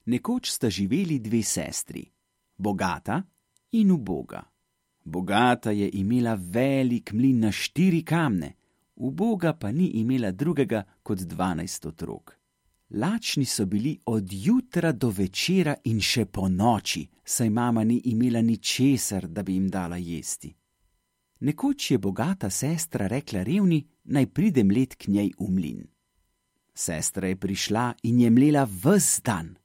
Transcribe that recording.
Nekoč sta živeli dve sestri, bogata in uboga. Bogata je imela velik mlin na 4 kamne, uboga pa ni imela drugega kot 12 otrok. Lačni so bili od jutra do večera in še po noči, saj mama ni imela ničesar, da bi jim dala jesti. Nekoč je bogata sestra rekla revni, naj pride mlet k njej v mlin. Sestra je prišla in je mlela ves dan.